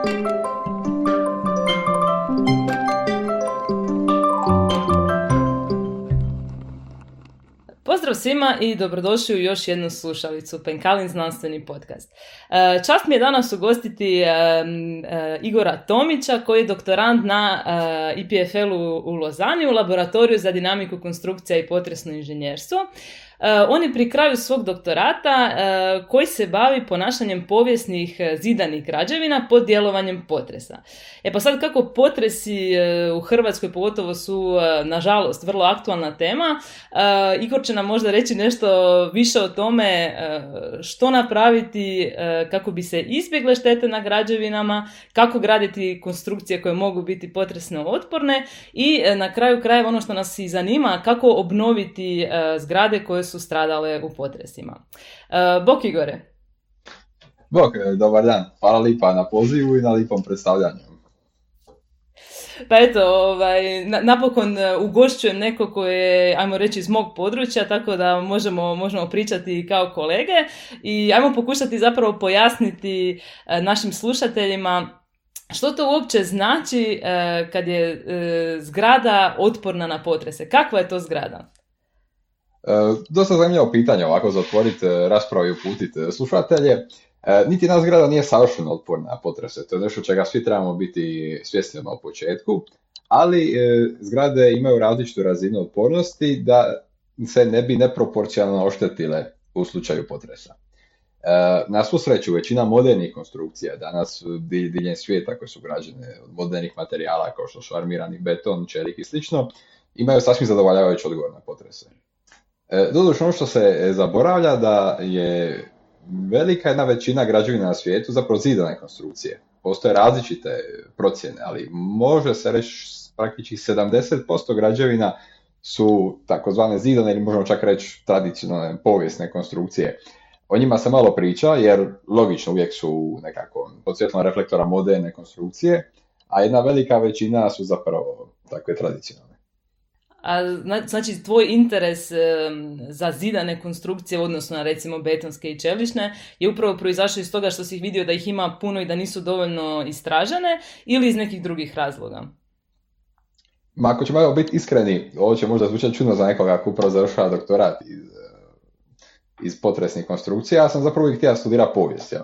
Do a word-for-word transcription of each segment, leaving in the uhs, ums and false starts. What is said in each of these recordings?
Pozdrav svima i dobrodošli u još jednu slušalicu, Penkalin znanstveni podcast. Čast mi je danas ugostiti Igora Tomića, koji je doktorant na I P F L-u u Lozani u laboratoriju za dinamiku konstrukcija i potresno inženjerstvo. On je pri kraju svog doktorata koji se bavi ponašanjem povijesnih zidanih građevina pod djelovanjem potresa. E pa sad, kako potresi u Hrvatskoj pogotovo su, nažalost, vrlo aktualna tema, Igor će nam možda reći nešto više o tome što napraviti kako bi se izbjegle štete na građevinama, kako graditi konstrukcije koje mogu biti potresno otporne i na kraju krajeva ono što nas i zanima, kako obnoviti zgrade koje su stradale u potresima. Uh, Bok Igore. Bok, dobar dan. Hvala lipa na pozivu i na lipom predstavljanju. Pa eto, ovaj, na, napokon ugošćujem neko koje je, ajmo reći, iz mog područja, tako da možemo, možemo pričati kao kolege i ajmo pokušati zapravo pojasniti uh, našim slušateljima što to uopće znači uh, kad je uh, zgrada otporna na potrese. Kakva je to zgrada? E, dosta zanimljivo pitanje ovako za otvoriti raspravu i uputiti slušatelje. E, niti jedna zgrada nije savršeno otporna na potrese, to je nešto čega svi trebamo biti svjesni na početku, ali e, zgrade imaju različitu razinu otpornosti da se ne bi neproporcionalno oštetile u slučaju potresa. E, na svu sreću, većina modernih konstrukcija danas diljem svijeta koje su građene od modernih materijala kao što su armirani beton, čelik i slično, imaju sasvim zadovoljavajući odgovor na potrese. Doduše, ono što se zaboravlja da je velika jedna većina građevina na svijetu zapravo zidane konstrukcije. Postoje različite procjene, ali može se reći praktički sedamdeset posto građevina su takozvane zidane ili možemo čak reći tradicionalne povijesne konstrukcije. O njima se malo priča jer logično uvijek su nekako pod svjetlom reflektora moderne konstrukcije, a jedna velika većina su zapravo takve tradicionalne. A znači tvoj interes e, za zidane konstrukcije, odnosno na recimo betonske i čelične, je upravo proizašao iz toga što si vidio da ih ima puno i da nisu dovoljno istražene ili iz nekih drugih razloga? Ma ako ćemo biti iskreni, ovo će možda zvučati čudno za nekoga ko upravo završava doktorat iz, iz potresnih konstrukcija, ja sam zapravo uvijek htio studirati povijest. Ja.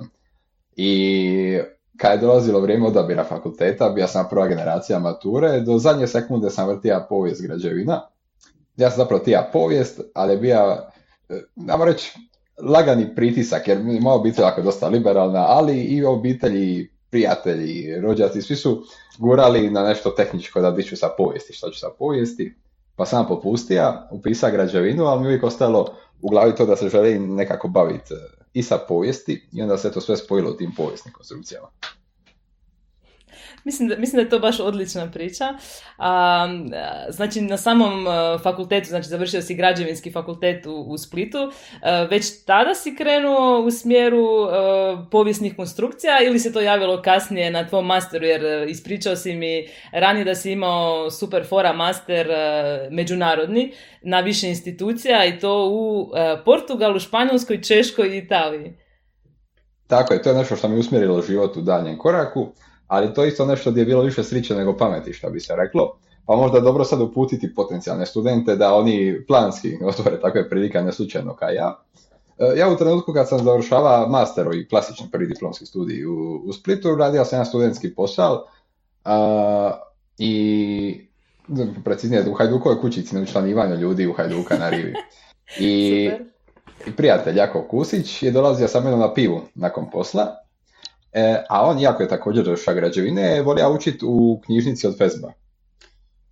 I kad je dolazilo vrijeme odabira fakulteta, bio sam prva generacija mature, do zadnje sekunde sam vrtija povijest građevina. Ja sam zapravo tija povijest, ali je bio, namo reći, lagani pritisak, jer moja obitelj je dosta liberalna, ali i obitelji, prijatelji, rođaci, svi su gurali na nešto tehničko da diću sa povijesti, što ću sa povijesti. Pa sam popustija, upisao građevinu, ali mi uvijek ostalo u glavi to da se želim nekako baviti i sa povijesti i onda se to sve spojilo u tim povijesnim konstrukcijama. Mislim da, mislim da je to baš odlična priča. A, znači, na samom fakultetu, znači završio si građevinski fakultet u, u Splitu, a, već tada si krenuo u smjeru a, povijesnih konstrukcija ili se to javilo kasnije na tvom masteru, jer ispričao si mi ranije da si imao super fora master a, međunarodni na više institucija i to u a, Portugalu, Španjolskoj, Češkoj i Italiji. Tako je, to je nešto što mi usmjerilo život u daljem koraku. Ali to je isto nešto gdje je bilo više sriće nego pameti, što bi se reklo. Pa možda je dobro sad uputiti potencijalne studente da oni planski otvore takve prilike, ne slučajno kao ja. Ja u trenutku kad sam završavao master i klasični prvi diplomski studij u, u Splitu, radio sam jedan studentski posao a, i preciznije u Hajdukovoj kućici na učlanivanju ljudi u Hajduka na rivi. I, i prijatelj Jakov Kusić je dolazio sa mnom na pivu nakon posla. E, a on, iako je također došao građevine, je volio učiti u knjižnici od Fezba.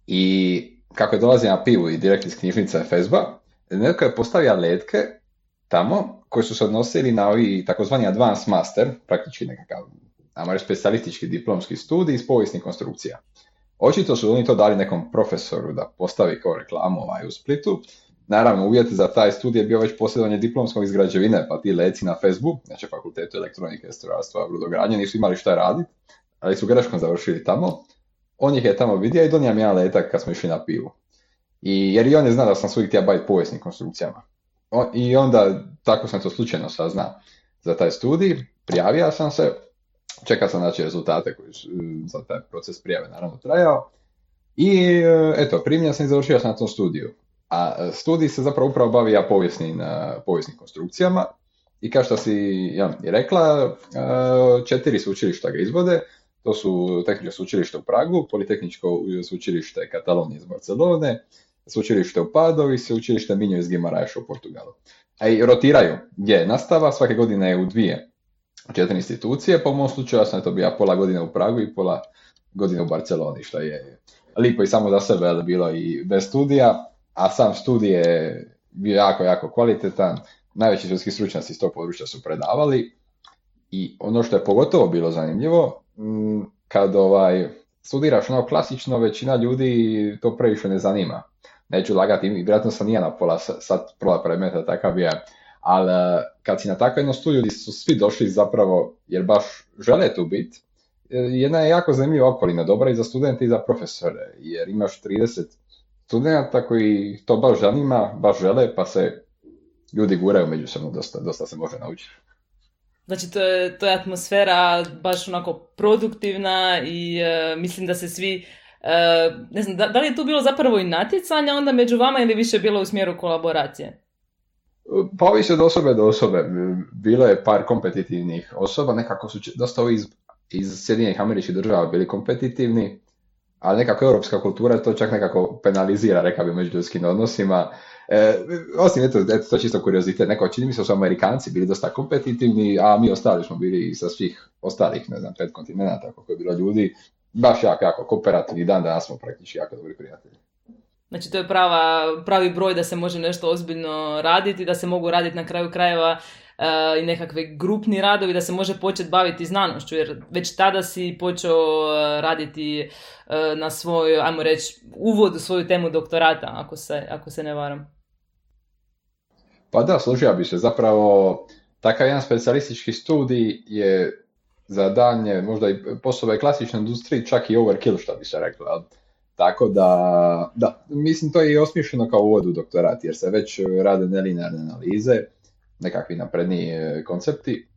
I kako je dolazio na pivu i direkt iz knjižnice Fezba, netko je postavio letke tamo koji su se odnosili na ovi takozvani advanced master, praktički nekakav, ajmo reći, specijalistički diplomski studij iz povijesnih konstrukcija. Očito su oni to dali nekom profesoru da postavi kao reklamu ovaj u Splitu. Naravno, uvjet za taj studij je bio već posjedovanje diplomskog iz građevine, pa ti leci na Fezbu, znači fakultetu elektronike, strojarstva, brodogradnje, nisu imali šta raditi, ali su greškom završili tamo. On ih je tamo vidio i donio mi jedan letak kad smo išli na pivu. I, jer i on je znao da sam svojih htio baviti povijesnim konstrukcijama. On, I onda, tako sam to slučajno saznao za taj studij, prijavio sam se čeka sam znači rezultate koji su za taj proces prijave naravno trajao. I eto, primljen sam i završio sam na tom studiju. A studij se zapravo upravo bavi ja povijesnim, povijesnim konstrukcijama. I kao što si ja, i rekla, četiri sveučilišta ga izvode. To su Tehničko sveučilište u Pragu, Politehničko sveučilište Katalonije iz Barcelone, sveučilište u Padovi i sveučilište Minho iz Guimaraesa u Portugalu. A i rotiraju gdje je nastava, svake godine je u dvije četiri institucije, po mom slučaju ja sam to bio pola godine u Pragu i pola godine u Barceloni, što je lipo i samo za sebe, ali bilo i bez studija, a sam studij je bio jako, jako kvalitetan, najveći svjetski stručnjaci iz tog područja su predavali i ono što je pogotovo bilo zanimljivo, kad ovaj, studiraš ono klasično, većina ljudi to previše ne zanima. Neću lagati, vjerojatno sam nije na pola sad pola predmeta, takav je, ali kad si na takvom jednom studiju gdje su svi došli zapravo jer baš žele tu biti, jedna je jako zanimljiva okolina, dobra i za studente i za profesore, jer imaš trideset studenta koji to baš zanima, baš žele, pa se ljudi guraju međusobno, dosta, dosta se može naučiti. Znači, to je, to je atmosfera baš onako produktivna i uh, mislim da se svi, uh, ne znam, da, da li je tu bilo zapravo i natjecanja onda među vama ili više bilo u smjeru kolaboracije? Pa ovisi od osobe do osobe. Bilo je par kompetitivnih osoba, nekako su dosta ovi iz, iz Sjedinjenih Američkih Država bili kompetitivni, ali nekako europska kultura to čak nekako penalizira, rekao bi, među ljudskim odnosima. E, osim, eto, eto, to je čisto kuriozitet, neko čini mi se da su Amerikanci bili dosta kompetitivni, a mi ostali smo bili sa svih ostalih, ne znam, pet kontinenata, koliko je bilo ljudi, baš jako, jako kooperativni, dan danas smo praktički jako dobri prijatelji. Znači, to je prava, pravi broj da se može nešto ozbiljno raditi, da se mogu raditi na kraju krajeva uh, i nekakve grupni radovi, da se može početi baviti znanošću, jer već tada si počeo raditi uh, na svoj, ajmo reći, uvod u svoju temu doktorata, ako se, ako se ne varam. Pa da, složio bi se. Zapravo, takav jedan specijalistički studij je za danje, možda i poslove klasične industrije, čak i overkill, što bi se reklo. Tako da, da, mislim to je i osmišljeno kao uvod u doktorat, jer se već rade nelinearne analize, nekakvi napredniji koncepti.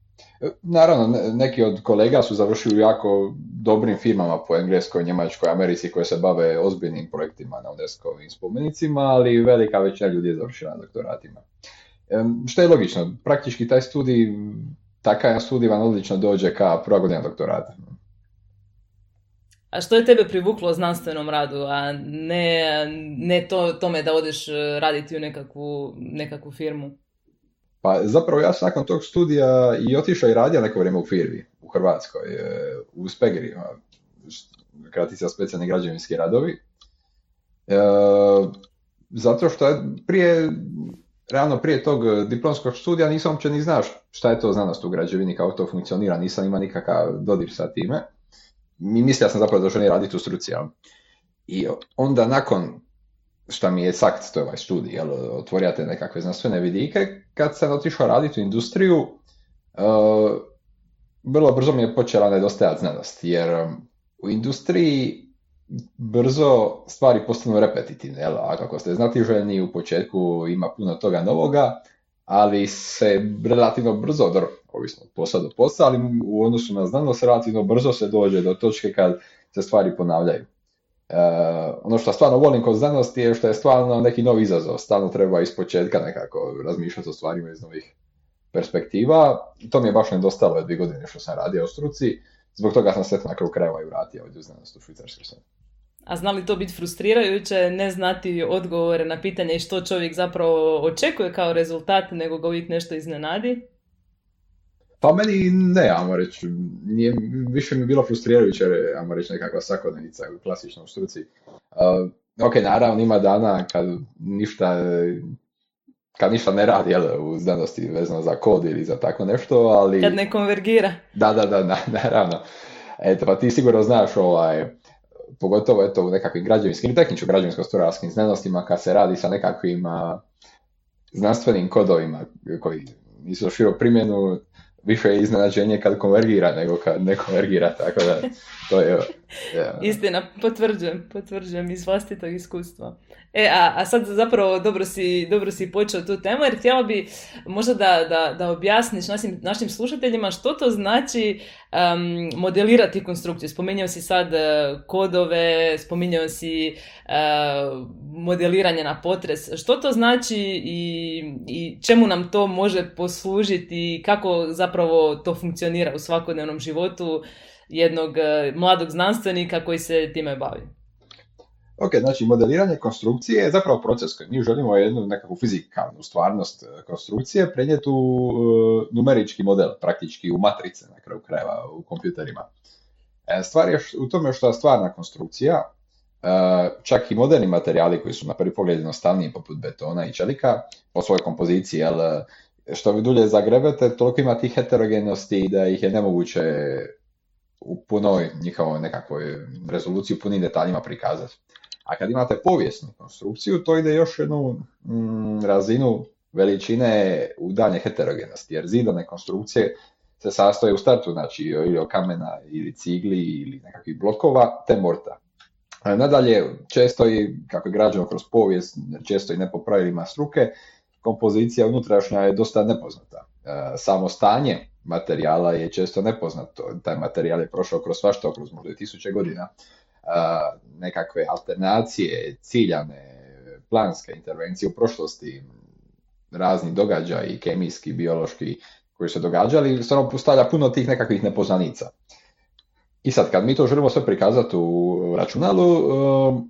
Naravno, neki od kolega su završili u jako dobrim firmama po Engleskoj, Njemačkoj, Americi koje se bave ozbiljnim projektima na UNESCO-ovim spomenicima, ali velika većina ljudi je završila na doktoratima. Što je logično, praktički taj studij, takav studij vam odlično dođe ka prva godina doktorata. A što je tebe privuklo znanstvenom radu, a ne, ne to, tome da odeš raditi u nekakvu, nekakvu firmu? Pa zapravo ja sam nakon tog studija i otišao i radio neko vrijeme u firmi u Hrvatskoj, u Spegri, kratica specijalni građevinski radovi. E, zato što je prije, realno prije tog diplomskog studija nisam uopće ni znao šta je to znanost u građevini, kako to funkcionira, nisam imao nikakav dodir sa time. Mi mislio sam zapravo da želim raditi u struci. Jel? I onda nakon šta mi je sakt, to je ovaj studij, jel, otvorio te nekakve znanstvene vidike, kad sam otišao raditi u industriju, uh, vrlo brzo mi je počela nedostajati znanost, jer um, u industriji brzo stvari postanu repetitivne, jel, a kako ste znatiželjni, u početku ima puno toga novoga, ali se relativno brzo, ovisno od posla do posla, ali u odnosu na znanost relativno brzo se dođe do točke kad se stvari ponavljaju. Uh, ono što stvarno volim kod znanosti je što je stvarno neki novi izazov, stalno treba ispočetka nekako razmišljati o stvarima iz novih perspektiva. To mi je baš nedostalo je dvije godine što sam radio u struci, zbog toga sam se na kraju krajeva i vratio ovdje u znanost u Švicarskoj. A zna li to biti frustrirajuće, ne znati odgovore na pitanje i što čovjek zapravo očekuje kao rezultat, nego ga uvijek nešto iznenadi? Pa meni ne, ajmo reći, nije, više mi bilo frustrirajuće, ajmo reći, nekakva svakodnevnica u klasičnom struci. Uh, ok, naravno ima dana kad ništa, kad ništa ne radi, jel, u znanosti vezano za kod ili za tako nešto, ali... Kad ne konvergira. Da, da, da, naravno. Eto, pa ti sigurno znaš, ovaj, pogotovo eto, u nekakvim građevinskim, tehničko-građevinsko-strojarskim znanostima, kad se radi sa nekakvim uh, znanstvenim kodovima koji nisu došli primjenu, više je iznenađenje kad konvergira nego kad ne konvergira, tako da to je Yeah. Istina, potvrđujem, potvrđujem iz vlastitog iskustva. E, a, a sad zapravo dobro si, dobro si počeo tu temu, jer htjela bi možda da, da, da objasniš našim, našim slušateljima što to znači um, modelirati konstrukciju. Spominjao si sad uh, kodove, spominjao si uh, modeliranje na potres. Što to znači i, i čemu nam to može poslužiti i kako zapravo to funkcionira u svakodnevnom životu jednog uh, mladog znanstvenika koji se time bavi? Ok, znači modeliranje konstrukcije je zapravo proces koji mi želimo jednu nekakvu fizikalnu stvarnost konstrukcije prenijeti u uh, numerički model, praktički u matrice na kraju krajeva u kompjuterima. E, stvar je u tome što je stvarna konstrukcija, uh, čak i moderni materijali koji su na prvi pogled jednostavniji poput betona i čelika po svojoj kompoziciji, jel, što vi dulje zagrebete, toliko ima tih heterogenosti da ih je nemoguće u punoj njihovoj nekakvoj rezoluciji, u punim detaljima prikazati. A kad imate povijesnu konstrukciju, to ide još jednu mm, razinu veličine u dalje heterogenosti, jer zidane konstrukcije se sastoje u startu, znači ili od kamena, ili cigli, ili nekakvih blokova, te morta. A nadalje, često i, kako je građeno kroz povijest, često i ne po pravilima struke, kompozicija unutrašnja je dosta nepoznata. E, samo stanje materijala je često nepoznato, taj materijal je prošao kroz svašta, kroz možda i tisuće godina. Uh, nekakve alternacije, ciljane, planske intervencije u prošlosti, razni događaji, kemijski, biološki, koji se događali, stvarno postavlja puno tih nekakvih nepoznanica. I sad, kad mi to želimo sve prikazati u računalu, uh,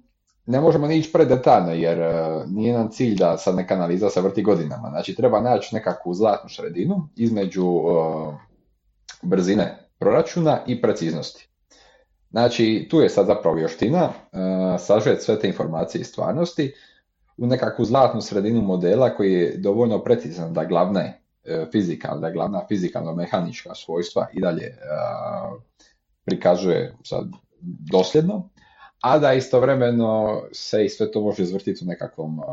ne možemo ni ići predetaljno, jer uh, nije nam cilj da sad neka analiza se vrti godinama. Znači, treba naći nekakvu zlatnu sredinu između uh, brzine proračuna i preciznosti. Znači, tu je sad zapravo vještina, uh, sažeti sve te informacije iz stvarnosti u nekakvu zlatnu sredinu modela koji je dovoljno precizan da glavne uh, fizikalne, da glavna fizikalno-mehanička svojstva i dalje uh, prikazuje sad dosljedno, a da istovremeno se i sve to može izvrtiti u nekakvom uh,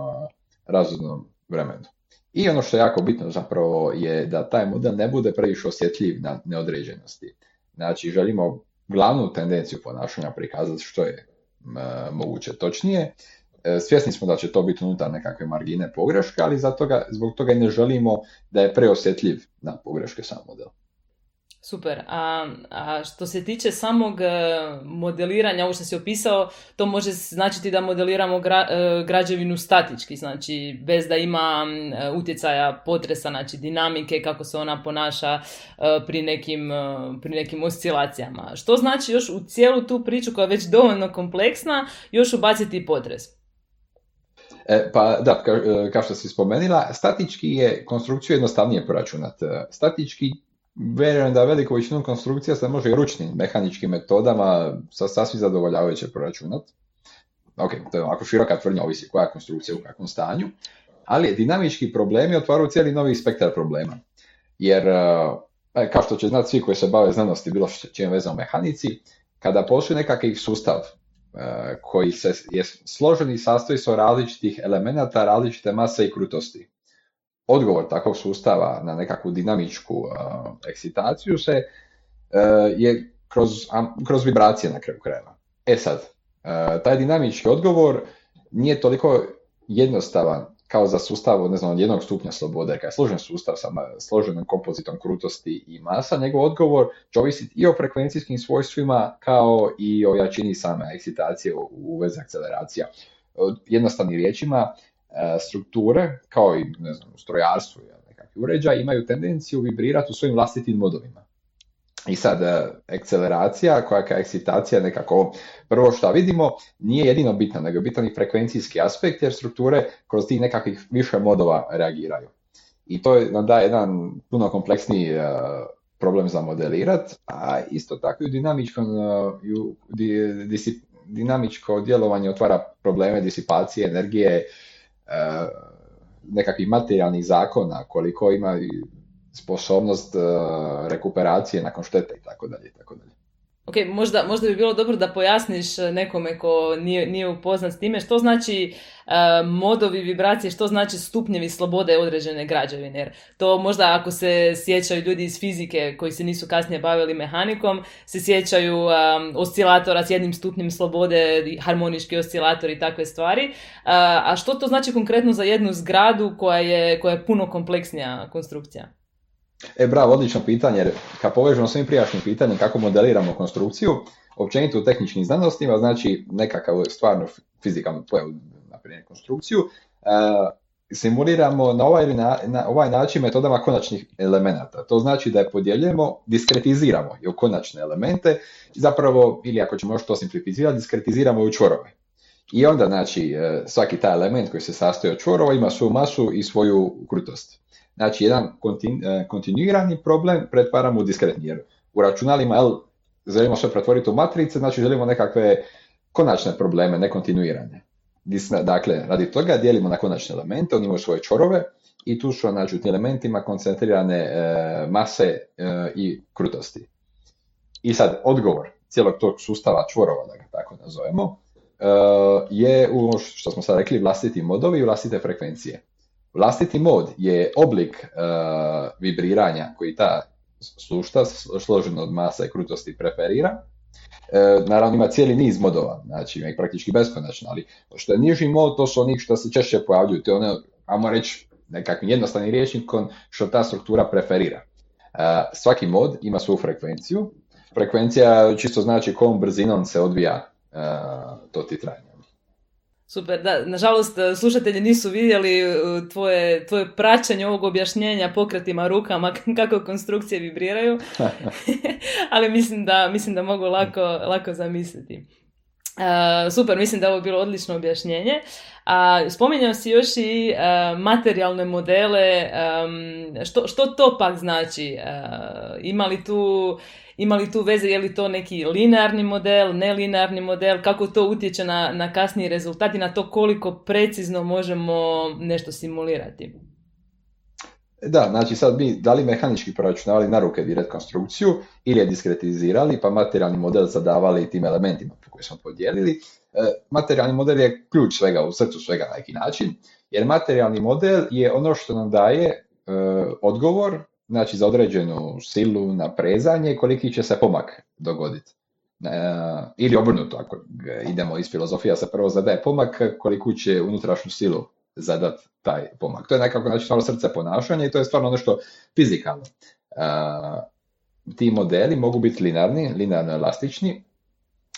razumnom vremenu. I ono što je jako bitno zapravo je da taj model ne bude previše osjetljiv na neodređenosti. Znači, želimo glavnu tendenciju ponašanja prikazati što je e, moguće točnije. E, svjesni smo da će to biti unutar nekakve margine pogreške, ali zato ga, zbog toga i ne želimo da je preosjetljiv na pogreške sam model. Super. A, a što se tiče samog modeliranja, ovo što si opisao, to može značiti da modeliramo gra, građevinu statički, znači bez da ima utjecaja potresa, znači dinamike, kako se ona ponaša pri nekim, pri nekim oscilacijama. Što znači još u cijelu tu priču koja je već dovoljno kompleksna, još ubaciti potres? E, pa da, ka, kao što si spomenula, statički je konstrukciju jednostavnije proračunati. Statički vjerujem da veliku većinu konstrukcija se može i ručnim mehaničkim metodama sa sasvim zadovoljavajuće proračunati. Ok, to je ovako široka tvrdnja, ovisi koja je konstrukcija u kakvom stanju, ali dinamički problemi otvaraju cijeli novi spektar problema. Jer, kao što će znati svi koji se bave znanosti, bilo što čim vezano u mehanici, kada postoji nekakav sustav koji se je složen i sastoji se od različitih elemenata, različite mase i krutosti, odgovor takvog sustava na nekakvu dinamičku uh, ekscitaciju se uh, je kroz, um, kroz vibracije na kraju krajeva. E sad, uh, taj dinamički odgovor nije toliko jednostavan kao za sustav, ne znam, od jednog stupnja slobode, kad je složen sustav sa složenom kompozitom krutosti i masa, njegov odgovor će ovisiti i o frekvencijskim svojstvima kao i o jačini same ekscitacije u, u vezi akceleracija. Jednostavnim riječima, strukture, kao i ne znam, u strojarstvu ili nekakvi uređaj, imaju tendenciju vibrirati u svojim vlastitim modovima. I sad, akceleracija, koja je ekscitacija nekako, prvo što vidimo, nije jedino bitna, nego je bitan i frekvencijski aspekt, jer strukture kroz tih nekakvih više modova reagiraju. I to nam daje jedan puno kompleksniji uh, problem za modelirati, a isto tako i dinamičko, uh, di, disip, dinamičko djelovanje otvara probleme disipacije energije, uh, nekakvih materijalnih zakona, koliko ima sposobnost uh, rekuperacije nakon štete i tako dalje i tako dalje. Ok, možda, možda bi bilo dobro da pojasniš nekome ko nije, nije upoznat s time što znači uh, modovi vibracije, što znači stupnjevi slobode određene građevine. Jer to možda ako se sjećaju ljudi iz fizike koji se nisu kasnije bavili mehanikom, se sjećaju um, oscilatora s jednim stupnjem slobode, harmonički oscilator i takve stvari. Uh, a što to znači konkretno za jednu zgradu koja je, koja je puno kompleksnija konstrukcija? E, bravo, odlično pitanje, jer kad povežemo svim prijašnjim pitanjem kako modeliramo konstrukciju, općenito u tehničkim znanostima, znači nekakav stvarno fizikalnu pojavu, na primjer konstrukciju, uh, simuliramo na ovaj, na, na ovaj način metodama konačnih elemenata. To znači da je podijeljujemo, diskretiziramo i u konačne elemente, zapravo, ili ako ćemo još to simplificirati, diskretiziramo u čvorove. I onda, znači, svaki taj element koji se sastoji od čvorova ima svoju masu i svoju krutost. Znači, jedan kontinu, kontinuirani problem pretvaramo u diskretni, jer u računalima jel, želimo sve pretvoriti u matrice, znači želimo nekakve konačne probleme, nekontinuirane. Dakle, radi toga dijelimo na konačne elemente, oni imaju svoje čvorove i tu su znači, u tim elementima koncentrirane e, mase e, i krutosti. I sad, odgovor cijelog tog sustava čvorova, da ga tako nazovemo, e, je u što smo sad rekli vlastiti modovi i vlastite frekvencije. Vlastiti mod je oblik uh, vibriranja koji ta sušta složena od masa i krutosti preferira. E, naravno ima cijeli niz modova, znači ima ih praktički beskonačno, ali što je niži mod, to su oni što se češće pojavljuju, to je ono, ajmo reći nekakvim jednostavnim rječnikom što ta struktura preferira. E, svaki mod ima svoju frekvenciju. Frekvencija čisto znači kojom brzinom se odvija e, to titranje. Super, da, nažalost slušatelji nisu vidjeli tvoje, tvoje praćenje ovog objašnjenja pokretima rukama kako konstrukcije vibriraju, ali mislim da, mislim da mogu lako, lako zamisliti. Uh, super, mislim da je ovo bilo odlično objašnjenje. Uh, spominjao si još i uh, materijalne modele, um, što, što to pak znači? Uh, ima li tu... Ima li tu veze, je li to neki linearni model, nelinearni model, kako to utječe na, na kasniji rezultat i na to koliko precizno možemo nešto simulirati? Da, znači sad mi da li mehanički proračunavali na ruke direkt konstrukciju ili je diskretizirali pa materijalni model zadavali tim elementima koje smo podijelili. E, materijalni model je ključ svega, u srcu svega na neki način, jer materijalni model je ono što nam daje e, odgovor, znači za određenu silu na prezanje, koliki će se pomak dogoditi. E, ili obrnuto, ako idemo iz filozofija se prvo zadaje pomak, koliku će unutrašnju silu zadat taj pomak. To je nekako znači, stvarno srce ponašanja i to je stvarno nešto fizikalno. E, ti modeli mogu biti linearni, linearno elastični,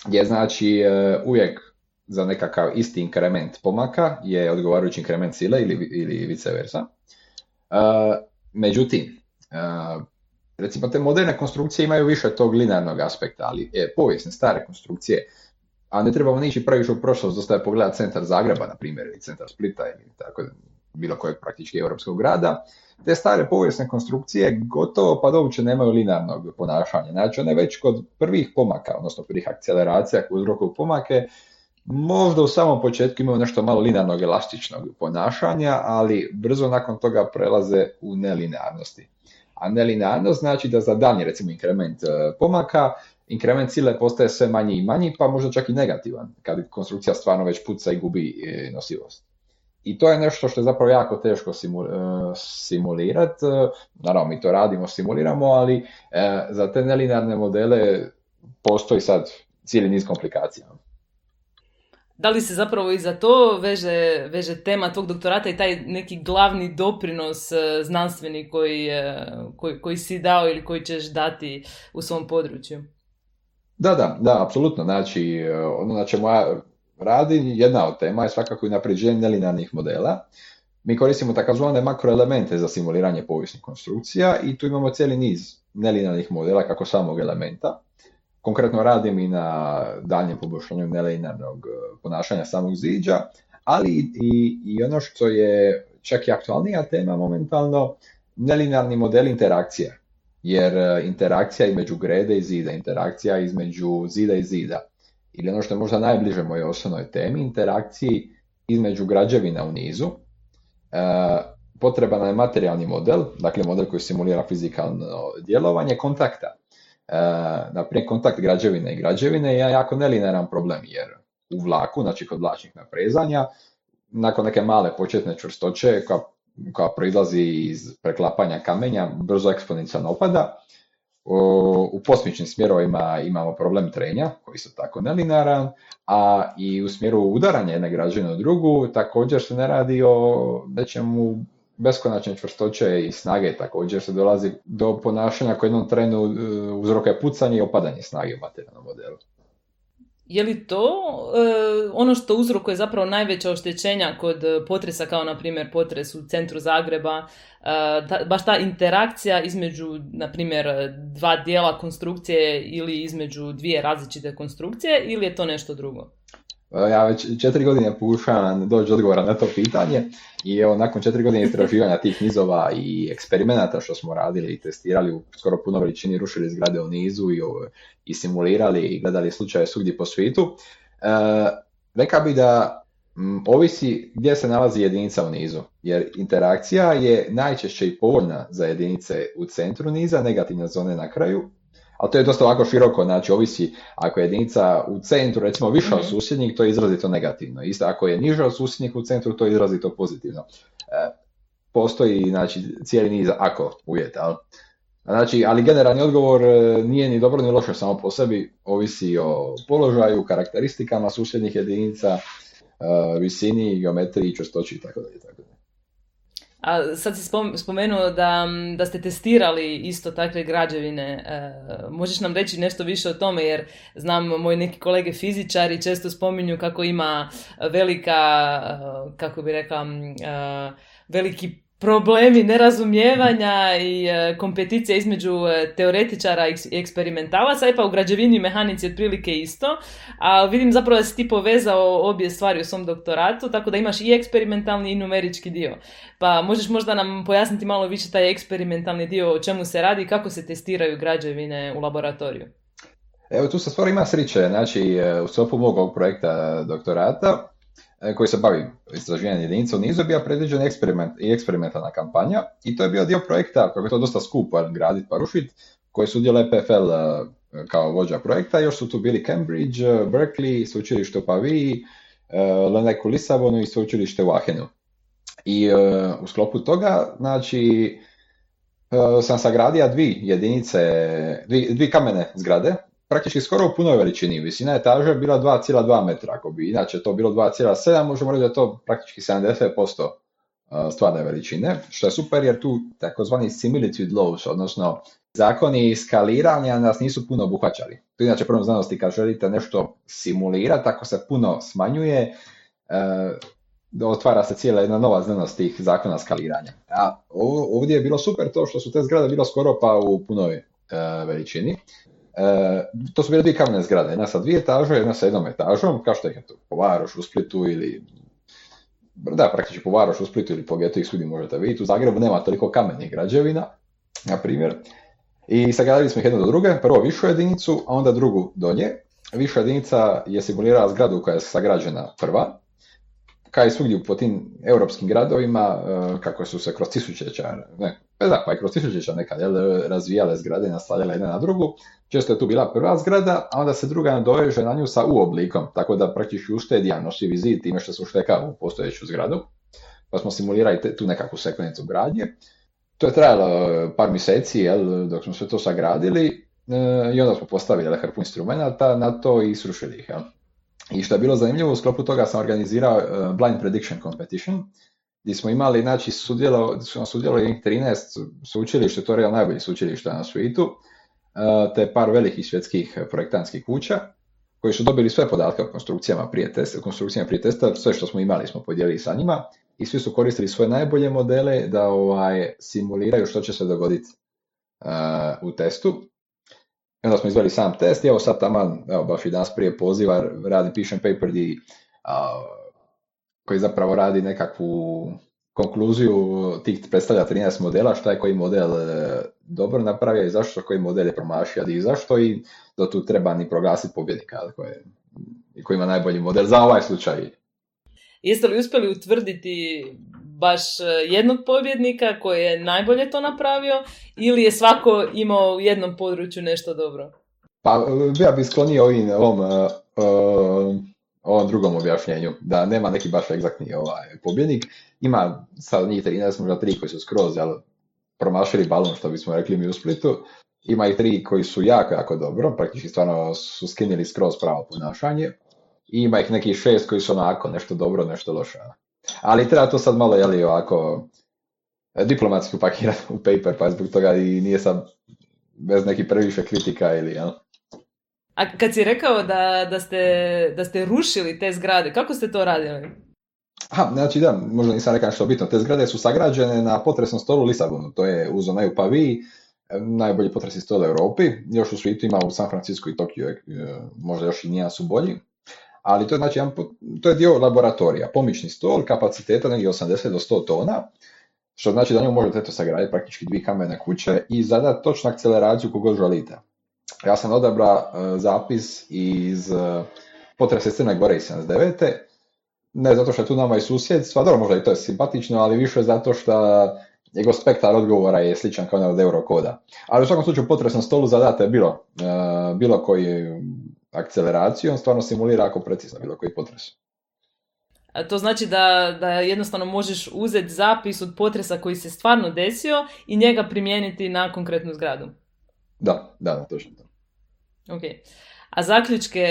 gdje znači e, uvijek za nekakav isti inkrement pomaka je odgovarajući inkrement sile ili, ili vice versa. E, međutim, Uh, recimo te moderne konstrukcije imaju više tog linearnog aspekta, ali je, povijesne, stare konstrukcije, a ne trebamo nići previše u prošlost, dosta je pogledati centar Zagreba, na primjer, ili centar Splita, ili tako bilo kojeg praktički europskog grada, te stare povijesne konstrukcije gotovo pa da uopće nemaju linearnog ponašanja, znači one već kod prvih pomaka, odnosno prvih akceleracija koje uzrokuju pomake, možda u samom početku imaju nešto malo linearnog elastičnog ponašanja, ali brzo nakon toga prelaze u nelinearnosti. A nelinearnost znači da za daljnji recimo inkrement pomaka, inkrement sile postaje sve manji i manji, pa možda čak i negativan, kad konstrukcija stvarno već puca i gubi nosivost. I to je nešto što je zapravo jako teško simulirati, naravno mi to radimo, simuliramo, ali za te nelinearne modele postoji sad cijeli niz komplikacija. Da li se zapravo i za to veže, veže tema tvog doktorata i taj neki glavni doprinos znanstveni koji, koji, koji si dao ili koji ćeš dati u svom području? Da, da, da, apsolutno. Znači, ono na čemu ja radim, jedna od tema je svakako i napređenje nelinearnih modela. Mi koristimo takozvane makroelemente za simuliranje povijesnih konstrukcija i tu imamo cijeli niz nelinearnih modela kako samog elementa. Konkretno radim i na daljnjem poboljšanju nelinearnog ponašanja samog ziđa, ali i, i ono što je čak i aktualnija tema momentalno, nelinearni model interakcije. Jer interakcija između grede i zida, interakcija između zida i zida, ili ono što je možda najbliže mojoj osnovnoj temi, interakciji između građevina u nizu, e, potreban je materijalni model, dakle model koji simulira fizikalno djelovanje kontakta. naprimjer kontakt građevine i građevine je jako nelinearan problem, jer u vlaku, znači kod vlačnih naprezanja, nakon neke male početne čvrstoće koja, koja proizlazi iz preklapanja kamenja, brzo eksponencijalno opada. U posmičnim smjerovima imamo problem trenja, koji su tako nelinearan, a i u smjeru udaranja jedne građevine u drugu također se ne radi o nečemu beskonačne čvrstoće i snage, također se dolazi do ponašanja koje jednom trenu uzrokuje pucanje i opadanje snage u materijalnom modelu. Je li to e, ono što uzrokuje zapravo najveća oštećenja kod potresa, kao na primjer potres u centru Zagreba, e, ta, baš ta interakcija između, na primjer, dva dijela konstrukcije ili između dvije različite konstrukcije, ili je to nešto drugo? Ja već četiri godine pokušavam doći odgovora na to pitanje i evo nakon četiri godine istraživanja tih nizova i eksperimenata što smo radili i testirali u skoro puno veličini, rušili zgrade u nizu i, i simulirali i gledali slučaje svugdje po svijetu, e, rekao bi da m, ovisi gdje se nalazi jedinica u nizu, jer interakcija je najčešće i povoljna za jedinice u centru niza, negativne zone na kraju. Ali to je dosta ovako široko, znači ovisi ako je jedinica u centru recimo viša od susjednih, to je izrazito negativno. Isto ako je niža od susjednih u centru, to je izrazito pozitivno. E, postoji znači cijeli niz ako uvjeta. Ali, znači, ali generalni odgovor nije ni dobro ni loše samo po sebi, ovisi o položaju, karakteristikama susjednih jedinica, visini, geometriji, čvrstoći i tako dalje. A sad si spomenuo da, da ste testirali isto takve građevine. E, možeš nam reći nešto više o tome, jer znam moji neki kolege fizičari često spominju kako ima velika, kako bi rekla, veliki problemi nerazumijevanja i e, kompeticija između e, teoretičara i eksperimentalaca, e pa u građevini i mehanici otprilike isto, a vidim zapravo da si ti povezao obje stvari u svom doktoratu, tako da imaš i eksperimentalni i numerički dio. Pa možeš možda nam pojasniti malo više taj eksperimentalni dio, o čemu se radi i kako se testiraju građevine u laboratoriju? Evo tu se stvari ima sriče, znači u sklopu mog ovog projekta doktorata, koji se bavi istraživanjem jedinica u nizu, je bio predviđen eksperiment i eksperimentalna kampanja i to je bio dio projekta, kako je to dosta skupo graditi pa rušiti, koji su udjel E P F L kao vođa projekta. Još su tu bili Cambridge, Berkeley, sveučilište u Paviji, Lenek u Lisabonu i sveučilište u Aachenu. I u sklopu toga, znači, sam sagradio dvije jedinice, dvije, dvije kamene zgrade, praktički skoro u punoj veličini. Visina etaže je bila dva zarez dva metra, ako bi inače to bilo dva zarez sedam, možemo reći da je to praktički sedamdeset posto stvarne veličine, što je super jer tu takozvani similitude laws, odnosno zakoni skaliranja nas nisu puno obuhvaćali. To inače prvom znanosti kad želite nešto simulirati, ako se puno smanjuje, otvara se cijela jedna nova znanost tih zakona skaliranja. A ovdje je bilo super to što su te zgrade bilo skoro pa u punoj veličini. E, to su bile dvije kamene zgrade, jedna sa dvije etaže, jedna sa jednom etažom, kao što je to po Varoš u Splitu ili, da, praktički po Varoš u Splitu ili po Getu ih svudi možete vidjeti. U Zagrebu nema toliko kamenih građevina, na primjer. I sagradili smo ih jednu do druge, prvo višu jedinicu, a onda drugu do nje. Viša jedinica je simulirala zgradu koja je sagrađena prva, kao i svugdje po tim europskim gradovima, kako su se kroz tisućljeća, ne, da, pa i kroz tisućljeća nekad jel, razvijale zgrade i naslanjale jedna na drugu. Često je tu bila prva zgrada, a onda se druga nadoveže na nju sa U oblikom, tako da praktički uštedi nošljivi zid time što se ušteka u postojeću zgradu. Pa smo simulirali te, tu nekakvu sekvencu gradnje. To je trajalo par mjeseci, jel, dok smo sve to sagradili, e, i onda smo postavili hrpu instrumenta na to i srušili ih. Jel. I što je bilo zanimljivo, u sklopu toga sam organizirao uh, Blind Prediction Competition, gdje smo imali, znači, sudjelo, sudjelo je trinaest sveučilišta, to je real najbolji sveučilišta na svijetu, uh, te par velikih svjetskih projektantskih kuća, koji su dobili sve podatke o konstrukcijama prije testa, konstrukcijama prije testa, sve što smo imali smo podijelili sa njima, i svi su koristili svoje najbolje modele da ovaj, simuliraju što će se dogoditi uh, u testu. I onda smo izveli sam test i evo sad taman, evo baš i danas prije poziva, radim, pišem paper di, a, koji zapravo radi nekakvu konkluziju tih predstavlja trinaest modela, šta je koji model e, dobro napravio i zašto koji model je promašio i zašto, i do tu treba ni proglasiti pobjednika koji, koji ima najbolji model za ovaj slučaj. Jeste li uspjeli utvrditi baš jednog pobjednika koji je najbolje to napravio ili je svako imao u jednom području nešto dobro? Pa ja bih sklonio ovim, ovom, uh, uh, ovom drugom objašnjenju, da nema neki baš egzaktni ovaj, pobjednik. Ima sad njih trinaest, možda tri koji su skroz jel, promašili balon, što bismo rekli mi u Splitu. Ima i tri koji su jako, jako dobro, praktički stvarno su skinili skroz pravo ponašanje. I ima ih nekih šest koji su onako nešto dobro, nešto loše. Ali treba to sad malo, jeli, ovako diplomatski upakirati u paper, pa zbog toga i nije sad bez nekih previše kritika ili, jel? A kad si rekao da, da, ste, da ste rušili te zgrade, kako ste to radili? Aha, znači da, možda nisam rekao što bitno. Te zgrade su sagrađene na potresnom stolu u Lisabonu, to je uz onaj u Paviji, najbolji potresni stol u Europi, još u svijetu ima u San Francisco i Tokiju, možda još i nijedan su bolji, ali to je, znači, to je dio laboratorija, pomični stol, kapaciteta negdje osamdeset do sto tona, što znači da njom možete to sagraditi praktički dvije kamene kuće i zadati točnu akceleraciju kogod želite. Ja sam odabrao uh, zapis iz uh, potresa iz Crne Gore iz sedamdeset devete. Ne zato što je tu nama i susjedstva, dobro možda i to je simpatično, ali više zato što njegov spektar odgovora je sličan kao onaj od Eurokoda. Ali u svakom slučaju potresnom stolu zadate bilo, uh, bilo koji akceleraciju, on stvarno simulira ako precizno bilo koji potres. A to znači da, da jednostavno možeš uzeti zapis od potresa koji se stvarno desio i njega primijeniti na konkretnu zgradu. Da, da, da, točno to. Ok. A zaključke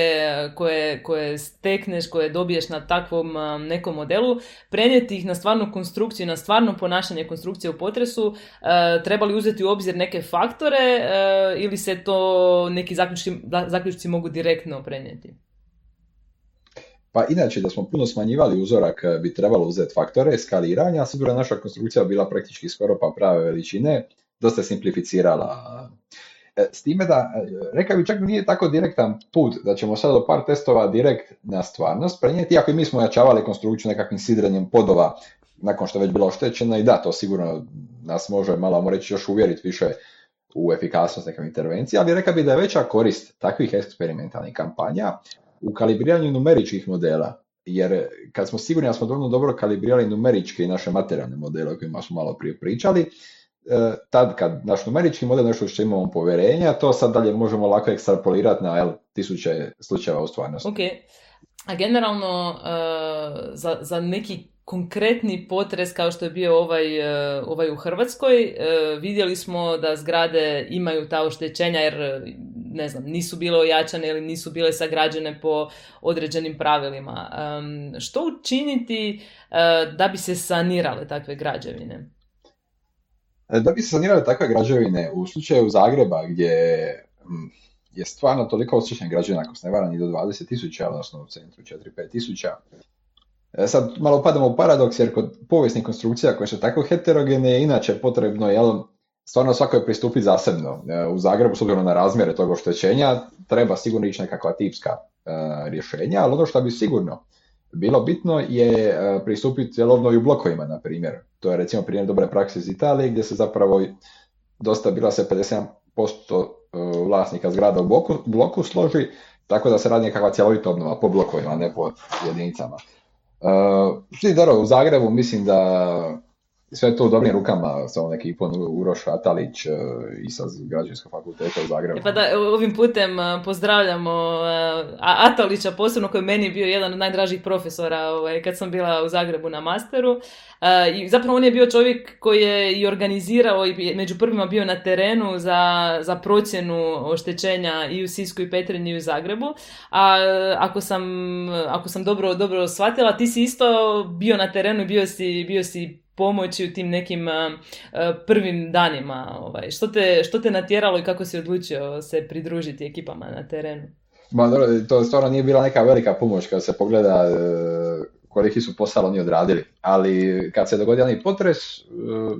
koje, koje stekneš, koje dobiješ na takvom um, nekom modelu, prenijeti ih na stvarnu konstrukciju, na stvarno ponašanje konstrukcije u potresu, uh, trebali uzeti u obzir neke faktore uh, ili se to neki zaključci, zaključci mogu direktno prenijeti? Pa inače da smo puno smanjivali uzorak bi trebalo uzeti faktore skaliranja, s obzirom naša konstrukcija bila praktički skoro pa prave veličine, dosta simplificirala. S time da, rekao bi čak nije tako direktan put da ćemo sad do par testova direkt na stvarnost prenijeti, iako i mi smo ojačavali konstrukciju nekakvim sidrenjem podova nakon što je već bila oštećena i da, to sigurno nas može malo, moramo reći, još uvjeriti više u efikasnost nekakve intervencije, ali rekao bi da je veća korist takvih eksperimentalnih kampanja u kalibriranju numeričkih modela, jer kad smo sigurni da smo dovoljno dobro kalibrirali numeričke i naše materijalne modele o kojima smo malo prije pričali, tad kad naš numerički model nešto što imamo povjerenja, to sad dalje možemo lako ekstrapolirati na jel, tisuće slučajeva u stvarnosti. Ok, a generalno uh, za, za neki konkretni potres kao što je bio ovaj, uh, ovaj u Hrvatskoj, uh, vidjeli smo da zgrade imaju ta oštećenja jer ne znam, nisu bile ojačane ili nisu bile sagrađene po određenim pravilima. Um, što učiniti uh, da bi se sanirale takve građevine? Da bi se sanirale takve građevine, u slučaju Zagreba gdje je stvarno toliko oštećenih građevina, ako se ne varam, i do dvadeset tisuća, odnosno u centru četiri do pet tisuća. Sad malo padamo u paradoks, jer kod povijesnih konstrukcija koje su tako heterogene je inače potrebno jel, stvarno svako je pristupiti zasebno. U Zagrebu, s obzirom na razmjere tog oštećenja, treba sigurno ići nekakva tipska uh, rješenja, ali ono što bi sigurno bilo bitno je uh, pristupiti obnovi u blokovima, na primjer. To je recimo primjer dobre prakse iz Italije, gdje se zapravo dosta bila se pedeset sedam posto vlasnika zgrada u bloku, bloku složi, tako da se radi nekakva cjelovita obnova po blokovima, ne po jedinicama. Uh, dobro, u Zagrebu mislim da sve to u dobrim rukama sa ovom ekipom Uroš Atalić uh, i sa Građevinskog fakulteta u Zagrebu. E pa da, ovim putem uh, pozdravljamo uh, Atalića, posebno koji meni je bio jedan od najdražih profesora ovaj, kad sam bila u Zagrebu na masteru. Uh, I zapravo on je bio čovjek koji je i organizirao i među prvima bio na terenu za, za procjenu oštećenja i u Sisku i Petrinji i u Zagrebu. A ako sam, ako sam dobro, dobro shvatila, ti si isto bio na terenu i bio si, bio si pomoći u tim nekim uh, prvim danima. Ovaj. Što te, što te natjeralo i kako si odlučio se pridružiti ekipama na terenu? Ma, dobro, to stvarno nije bila neka velika pomoć kad se pogleda uh, koliki su posao oni odradili. Ali kad se dogodio onaj potres, uh,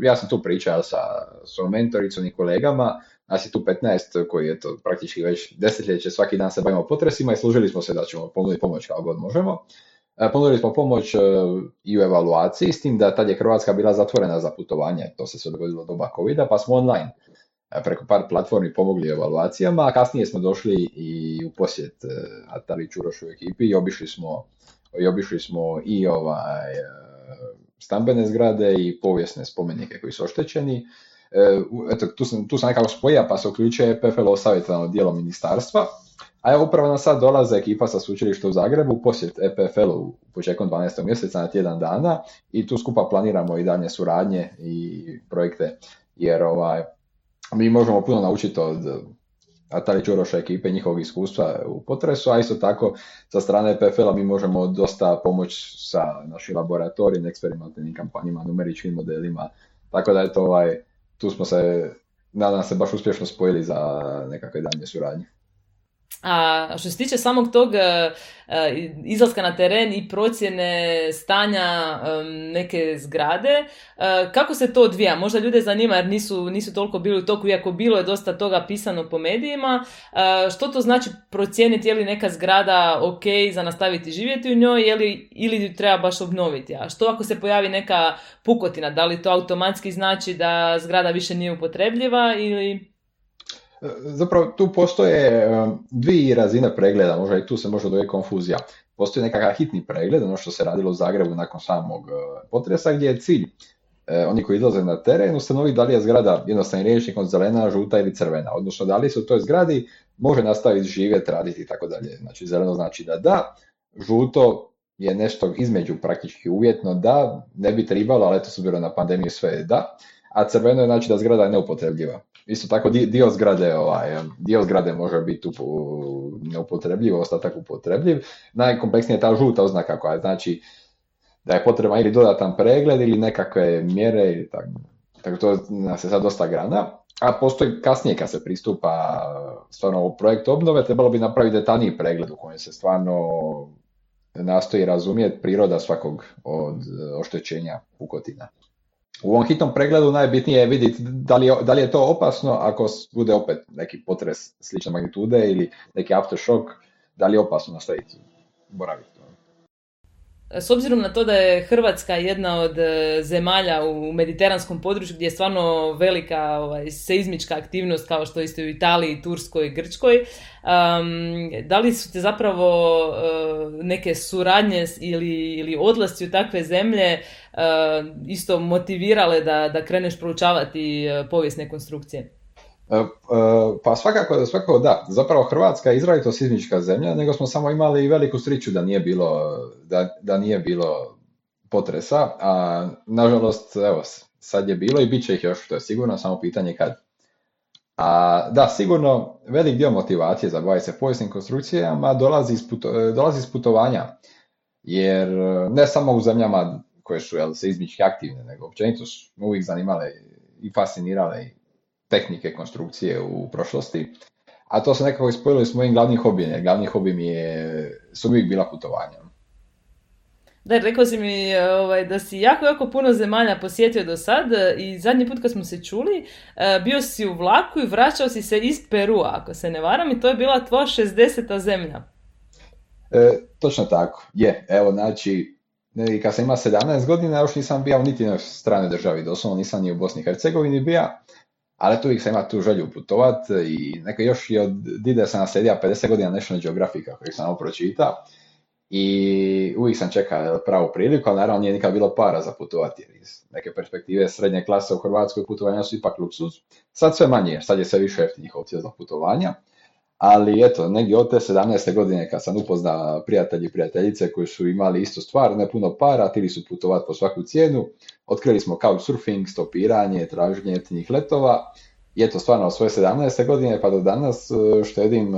ja sam tu pričao sa svojom mentoricom i kolegama, nas je tu petnaest koji je to praktički već desetljeće, svaki dan se bavimo potresima i služili smo se da ćemo ponuditi pomoć kao god možemo. Ponudili smo pomoć i u evaluaciji, s tim da tad je Hrvatska bila zatvorena za putovanje, to se sve dogodilo doba covida, pa smo online preko par platformi pomogli evaluacijama, a kasnije smo došli i u posjet Atalić Urošu ekipi i obišli smo i obišli smo i ovaj stambene zgrade i povijesne spomenike koji su oštećeni. E, eto, tu sam, tu sam nekako spojio, pa se uključuje E P F L-ovo savjetodavno dijelo ministarstva. A evo upravo nam sad dolaze ekipa sa sveučilišta u Zagrebu u posjet E P F L-u početkom dvanaestog mjeseca na tjedan dana i tu skupa planiramo i daljnje suradnje i projekte, jer ovaj, mi možemo puno naučiti od Natalije Čuroša ekipe, njihovog iskustva u potresu, a isto tako sa strane E P F L-a mi možemo dosta pomoći sa našim laboratorijim, eksperimentalnim kampanjima, numeričkim modelima, tako da je to ovaj, tu smo se, nadam se, baš uspješno spojili za nekakve daljnje suradnje. A što se tiče samog tog uh, izlaska na teren i procjene stanja um, neke zgrade, uh, kako se to odvija? Možda ljude zanima jer nisu, nisu toliko bili u toku, iako bilo je dosta toga pisano po medijima. Uh, što to znači procijeniti je li neka zgrada ok za nastaviti živjeti u njoj je li, ili treba baš obnoviti? A što ako se pojavi neka pukotina? Da li to automatski znači da zgrada više nije upotrebljiva ili... Zapravo tu postoje dvije razine pregleda, možda i tu se može dovesti konfuzija. Postoji nekakav hitni pregled, ono što se radilo u Zagrebu nakon samog potresa, gdje je cilj oni koji izlaze na teren ustanoviti da li je zgrada jednostavnim rječnikom zelena, žuta ili crvena, odnosno da li se u toj zgradi može nastaviti živjeti, raditi i tako dalje. Znači zeleno znači da da, žuto je nešto između praktički uvjetno da, ne bi trebalo, ali eto s obzirom na pandemiju sve je da, a crveno je znači da zgrada je neupotrebljiva. Isto tako dio zgrade, ovaj, dio zgrade može biti neupotrebljiv, ostatak upotrebljiv. Najkompleksnija je ta žuta oznaka koja znači da je potreban ili dodatan pregled ili nekakve mjere ili tako. Tako to nas je sad dosta grana. A postoji kasnije kad se pristupa stvarno u projekt obnove, trebalo bi napraviti detaljniji pregled u kojem se stvarno nastoji razumjeti priroda svakog od oštećenja pukotina. U ovom hitnom pregledu najbitnije je vidjeti da li je, da li je to opasno ako bude opet neki potres slične magnitude ili neki aftershock, da li je opasno nastaviti boraviti. S obzirom na to da je Hrvatska jedna od zemalja u mediteranskom području gdje je stvarno velika ovaj, seizmička aktivnost kao što isto u Italiji, Turskoj i Grčkoj, um, da li su te zapravo uh, neke suradnje ili, ili odlasci u takve zemlje uh, isto motivirale da, da kreneš proučavati uh, povijesne konstrukcije? Pa svakako, svakako da. Zapravo Hrvatska je izrazito seizmička zemlja, nego smo samo imali veliku sreću da nije bilo, da, da nije bilo potresa, a nažalost, evo, sad je bilo i bit će ih još, to je sigurno, samo pitanje kad. A da, sigurno velik dio motivacije za baviti se povijesnim konstrukcijama dolazi iz, puto, dolazi iz putovanja, jer ne samo u zemljama koje su jel, seizmički aktivne, nego općenito su uvijek zanimale i fascinirale i tehnike konstrukcije u prošlosti, a to se nekako ispojilo s mojim glavnim hobijem. Glavni hobi mi je, su uvijek bila putovanja. Da, rekao si mi ovaj, da si jako, jako puno zemalja posjetio do sad i zadnji put kad smo se čuli, bio si u vlaku i vraćao si se iz Perua, ako se ne varam, i to je bila tvoja šezdeseta zemlja. E, točno tako, je. Evo, znači, kad sam imao sedamnaest godina, još nisam bio niti na stranoj državi, doslovno nisam ni u Bosni i Hercegovini bio, ali tu uvijek sam imao tu želju putovat i neka još i od dide sam naslijedio pedeset godina National Geographica koji sam ovo pročitao i uvijek sam čekao pravu priliku, ali naravno nije nikad bilo para za putovati jer iz neke perspektive srednje klase u Hrvatskoj putovanja su ipak luksuz. Sad sve manje, sad je sve više jeftinih opcija za putovanja, ali eto, negdje od te sedamnaeste godine kad sam upoznao prijatelji i prijateljice koji su imali istu stvar, ne puno para, htjeli su putovati po svaku cijenu, otkrili smo couchsurfing, stopiranje, traženje jeftinih letova i eto stvarno od svoje sedamnaeste godine pa do danas štedim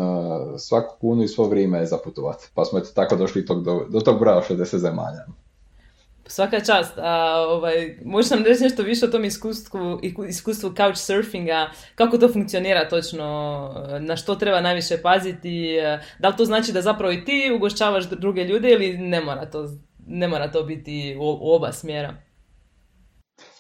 svaku kunu i svo vrijeme za putovati. Pa smo eto tako došli tog, do, do tog broja šezdeset zemalja. Svaka čast. A, ovaj, možeš nam reći nešto više o tom iskustvu, iskustvu couchsurfinga, kako to funkcionira točno, na što treba najviše paziti, da li to znači da zapravo i ti ugošćavaš druge ljude ili ne mora to, ne mora to biti u, u oba smjera?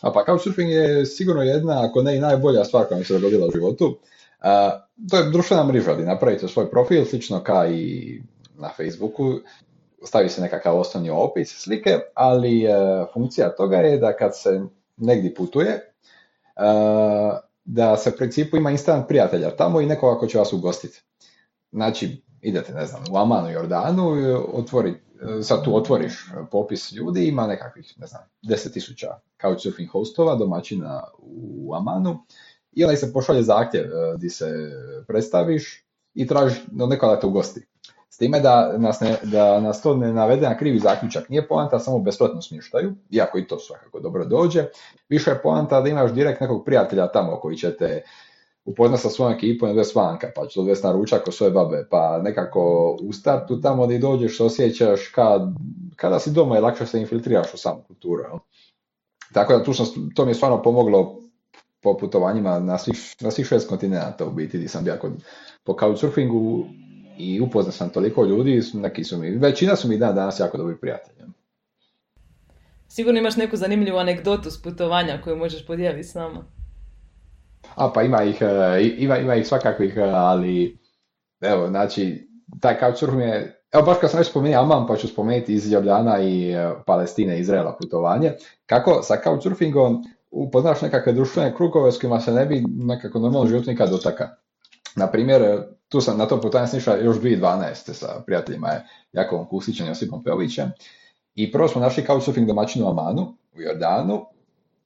A pa couchsurfing je sigurno jedna, ako ne i najbolja stvar koja mi se dogodila u životu. A, to je društvena mreža, gdje napravite svoj profil, slično kao i na Facebooku, stavi se nekakav osnovni opis slike, ali e, funkcija toga je da kad se negdje putuje, e, da se u principu ima instant prijatelja tamo i nekoga ko će vas ugostiti. Znači, idete, ne znam, u Amanu, Jordanu, otvori, sad tu otvoriš popis ljudi, ima nekakvih, ne znam, deset tisuća couchsurfing hostova, domaćina u Amanu, i onda se pošalje zahtjev gdje se predstaviš i tražiš da neko da te ugosti. S time da nas, ne, da nas to ne navede na krivi zaključak. Nije poanta samo u besplatnom smještaju, iako i to svakako dobro dođe. Više je poanta da imaš direkt nekog prijatelja tamo koji će te upoznat sa svojom ekipom i odvesti vanka, pa će odvesti na ručak kod svoje babe, pa nekako u startu tamo gdje dođeš osjećaš kad, kada si doma i lakše se infiltriraš u samu kulturu. Jel? Tako da tu sam, to mi je stvarno pomoglo po putovanjima na svih, na svih šest kontinenta u biti, gdje sam bio kod, po couchsurfingu i upoznao sam toliko ljudi, neki su mi, većina su mi dan danas jako dobri prijatelji. Sigurno imaš neku zanimljivu anegdotu s putovanja koju možeš podijeliti s nama. A pa ima ih, ima, ima ih svakakvih, ali evo, znači, taj couchsurfing je, evo baš kad sam već spomenuo Amman, pa ću spomenuti iz Jordana i Palestine, Izraela putovanje, kako sa couchsurfingom upoznaš nekakve društvene krugove s kojima se ne bi nekako normalno život nikad dotaka. Naprimjer, tu sam na to putovanje snišao još dvije tisuće dvanaeste sa prijateljima Jakovom Kusićem i Josipom Peovićem, i prvo smo našli couchsurfing domaćinu u Amanu, u Jordanu,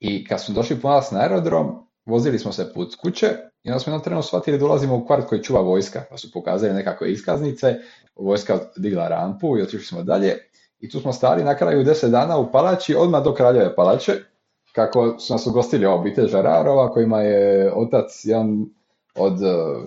i kad smo došli po nas na aerodrom, vozili smo se put kuće i onda smo jednom trenu shvatili da dolazimo u kvart koji čuva vojska, pa su pokazali nekakve iskaznice, vojska digla rampu i otišli smo dalje, i tu smo stali na kraju deset dana u palači, odmah do Kraljeve palače, kako su nas ugostili obitelj Žararova, kojima je otac jedan od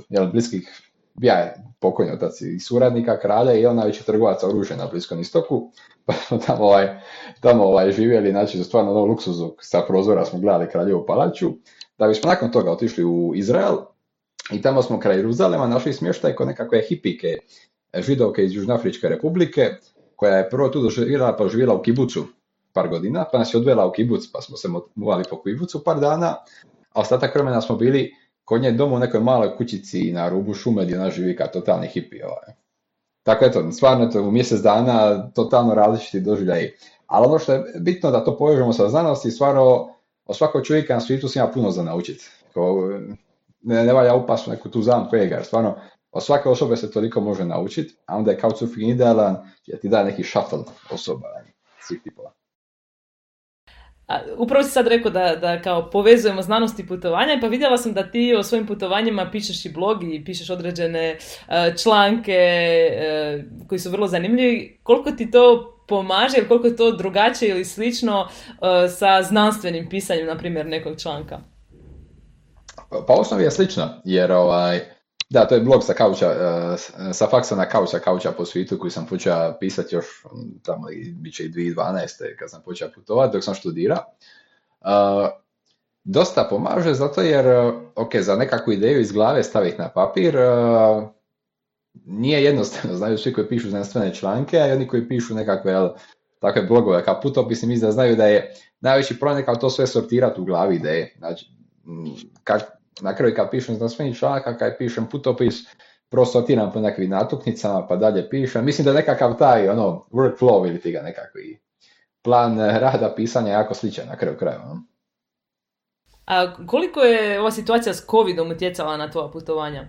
jedan bliskih, bija je pokojni otac i suradnika kralja i on najveći trgovac oružja na Bliskom istoku, pa smo tamo, ovaj, tamo ovaj, živjeli, znači za stvarno ono luksuzu, sa prozora smo gledali Kraljevu palaču, da bismo nakon toga otišli u Izrael i tamo smo kraj Jeruzalema našli smještaj kod nekakve hipike židovke iz Južnoafričke republike, koja je prvo tu doživjela, pa živjela u kibucu par godina, pa nas je odvela u kibuc, pa smo se muvali po kibucu par dana, a ostatak vremena smo bili kod nje doma u nekoj maloj kućici na rubu šume gdje ona živi kao totalni hipi. Ovaj. Tako eto, stvarno eto, u mjesec dana totalno različiti doživljaji. Ali ono što je bitno da to povežemo sa znanosti, stvarno od svakog čovjeka na svijetu se ima puno za naučiti. Ne, ne valja upast u neku tu zamku ega, jer stvarno od svake osobe se toliko može naučiti, a onda je couchsurfing idealan jer ti daje neki šatl osoba svih tipova. A, upravo si sad rekao da, da kao povezujemo znanost i putovanja, pa vidjela sam da ti o svojim putovanjima pišeš i blog i pišeš određene uh, članke uh, koji su vrlo zanimljivi. Koliko ti to pomaže ili koliko je to drugačije ili slično uh, sa znanstvenim pisanjem, na primjer, nekog članka? Pa u osnovi je slično, jer ovaj, da, to je blog sa kauča, uh, sa faksa na kauča, kauča po svijetu koji sam počeo pisati još tamo, bit će i dvije tisuće dvanaeste kad sam počeo putovati dok sam študirao. Uh, dosta pomaže zato jer, ok, za nekakvu ideju iz glave staviti na papir, uh, nije jednostavno, znaju svi koji pišu znanstvene članke, a i oni koji pišu nekakve jel, takve blogove kao putopisni, mislim da znaju da je najveći problem kao to sve sortirati u glavi ideje. Znači, kak, na kraju kad pišem znanstveni članak, kad pišem putopis, prvo sortiram po nekakvim natuknicama, pa dalje pišem. Mislim da je nekakav taj ono, workflow ili ti ga nekakvi plan rada pisanja jako sličan na kraju krajeva. No? A koliko je ova situacija s covidom utjecala na tvoja putovanja?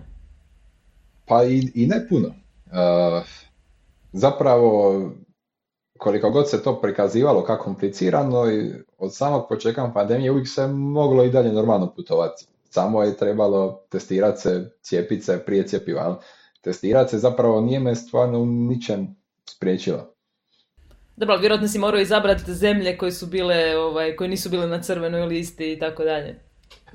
Pa i, i ne puno. Uh, zapravo, koliko god se to prikazivalo kako komplicirano, i od samog početka pandemije uvijek se moglo i dalje normalno putovati. Samo je trebalo testirati se, cijepiti se prije cjepiva. Testirati se zapravo nije me stvarno u ničem spriječilo. Dobro, vjerojatno si morao izabrati zemlje koje su bile, ovaj, koje nisu bile na crvenoj listi i tako dalje.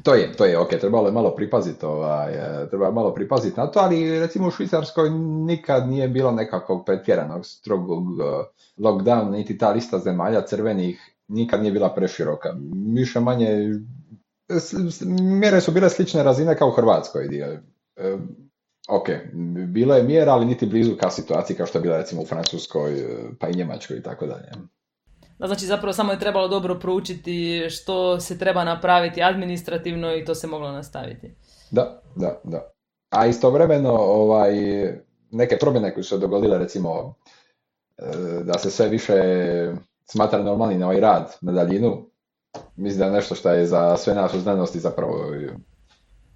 To je, to je, ok, trebalo je malo pripaziti, ovaj, trebalo je malo pripaziti na to, ali recimo u Švicarskoj nikad nije bilo nekakvog pretjeranog strogog uh, lockdowna, niti ta lista zemalja crvenih nikad nije bila preširoka. Više manje, mjere su bile slične razine kao u Hrvatskoj. Dio. Uh, ok, bilo je mjera, ali niti blizu kao situaciji kao što je bila recimo u Francuskoj, pa i Njemačkoj i tako dalje. Da, znači zapravo samo je trebalo dobro proučiti što se treba napraviti administrativno i to se moglo nastaviti. Da, da, da. A istovremeno ovaj, neke promjene koje su se dogodile, recimo da se sve više smatra normalnim ovaj rad na daljinu, mislim da je nešto što je za sve nas u znanosti zapravo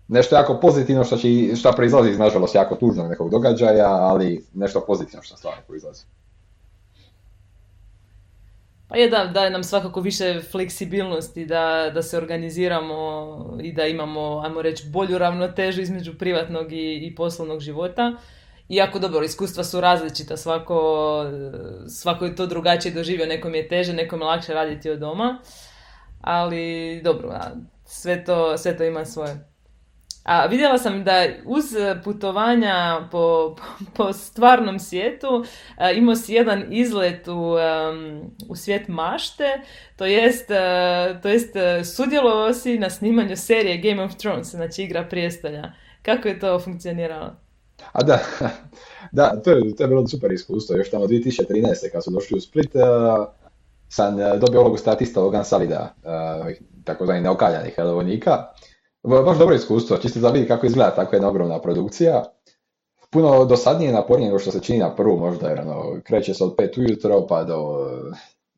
nešto jako pozitivno što, će, što proizlazi iz, nažalost, jako tužnog nekog događaja, ali nešto pozitivno što stvarno proizlazi. Pa je da, daje nam svakako više fleksibilnosti da, da se organiziramo i da imamo, ajmo reći, bolju ravnotežu između privatnog i, i poslovnog života. Iako dobro, iskustva su različita, svako, svako je to drugačije doživio, nekom je teže, nekom je lakše raditi od doma, ali dobro, sve to, sve to ima svoje. A vidjela sam da uz putovanja po, po stvarnom svijetu a, imao si jedan izlet u, um, u svijet mašte, to jest, uh, to jest uh, sudjelovao si na snimanju serije Game of Thrones, znači Igra prijestolja. Kako je to funkcioniralo? A da, da to, je, to je bilo super iskustvo. Još tamo dvije tisuće trinaeste kad su došli u Split, uh, sam dobio ulogu statista Logan Salida, uh, takozvani neokaljanih vojnika. Baš dobro iskustvo, čisto da vidi kako izgleda takva jedna ogromna produkcija. Puno dosadnije i napornije nego što se čini na prvu možda, jer ono, kreće se od pet ujutro pa do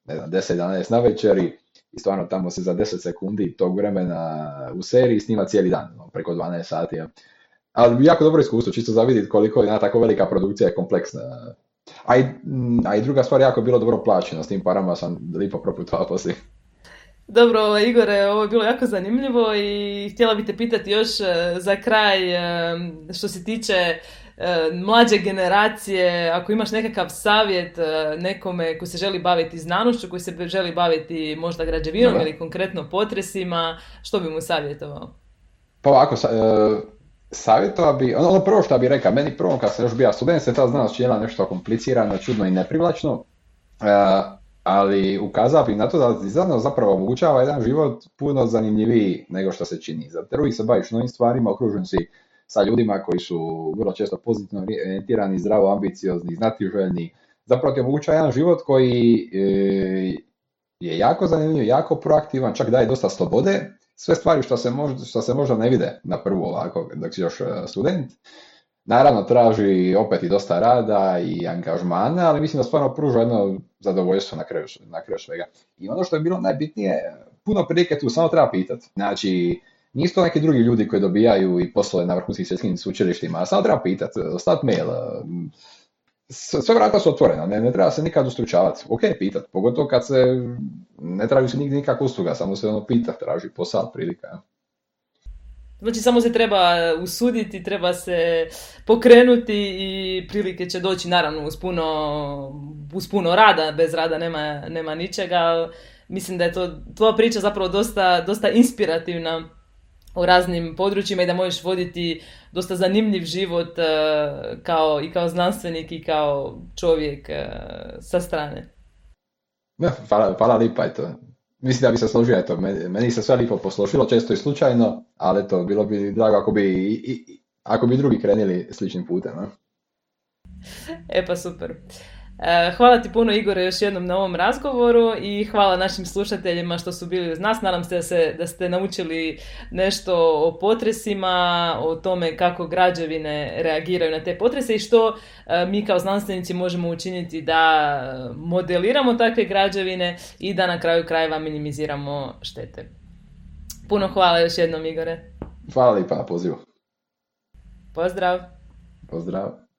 ne znam, deset jedanaest na večeri i stvarno tamo se za deset sekundi tog vremena u seriji snima cijeli dan, no, preko dvanaest sati. Ja. Ali jako dobro iskustvo, čisto za vidjeti koliko je jedna tako velika produkcija je kompleksna. A i, a i druga stvar, jako bilo dobro plaćeno, s tim parama sam lipo proputovao poslije. Dobro, Igore, ovo je bilo jako zanimljivo i htjela bih te pitati još za kraj što se tiče mlađe generacije, ako imaš nekakav savjet nekome koji se želi baviti znanošću, koji se želi baviti možda građevinom ili konkretno potresima, što bi mu savjetovao? Pa ovako, savjetovao bi, ono, ono prvo što bi rekao, meni prvo kad sam još bio student se ta znanost činila nešto komplicirano, čudno i neprivlačno, ali ukazao bih na to da znanost zapravo omogućava jedan život puno zanimljiviji nego što se čini. Zato uvijek se baviš novim stvarima, okružen si sa ljudima koji su vrlo često pozitivno orijentirani, zdravo, ambiciozni, znatiželjni. Zapravo ti omogućava jedan život koji je jako zanimljiv, jako proaktivan, čak daje dosta slobode. Sve stvari što se, možda, što se možda ne vide na prvu ovako dok si još student. Naravno traži opet i dosta rada i angažmana, ali mislim da stvarno pruža jedno zadovoljstvo na kraju, na kraju svega. I ono što je bilo najbitnije, puno prilike tu samo treba pitati. Znači, nisu to neki drugi ljudi koji dobijaju i poslove na vrhunskim svjetskim sveučilištima, a samo treba pitati, ostaviti mail. Sve vrata su otvorena, ne, ne treba se nikad ustručavati. Ok, pitati, pogotovo kad se ne traži se nigdje nikakva usluga, samo se ono pitati, traži posao, prilika. Znači samo se treba usuditi, treba se pokrenuti i prilike će doći naravno uz puno, uz puno rada, bez rada nema, nema ničega. Mislim da je to tvoja priča zapravo dosta, dosta inspirativna u raznim područjima i da možeš voditi dosta zanimljiv život kao, i kao znanstvenik i kao čovjek sa strane. Ja, hvala, hvala lipa, eto. Mislim da bi se složio, eto, meni, meni se sve lipo posložilo, često i slučajno, ali eto, bilo bi drago ako bi, i, i, ako bi drugi krenili sličnim putem. Ne? E pa super. Hvala ti puno, Igore, još jednom na ovom razgovoru i hvala našim slušateljima što su bili uz nas. Nadam se da, se da ste naučili nešto o potresima, o tome kako građevine reagiraju na te potrese i što mi kao znanstvenici možemo učiniti da modeliramo takve građevine i da na kraju krajeva minimiziramo štete. Puno hvala još jednom, Igore. Hvala lipa na pozivu. Pozdrav. Pozdrav.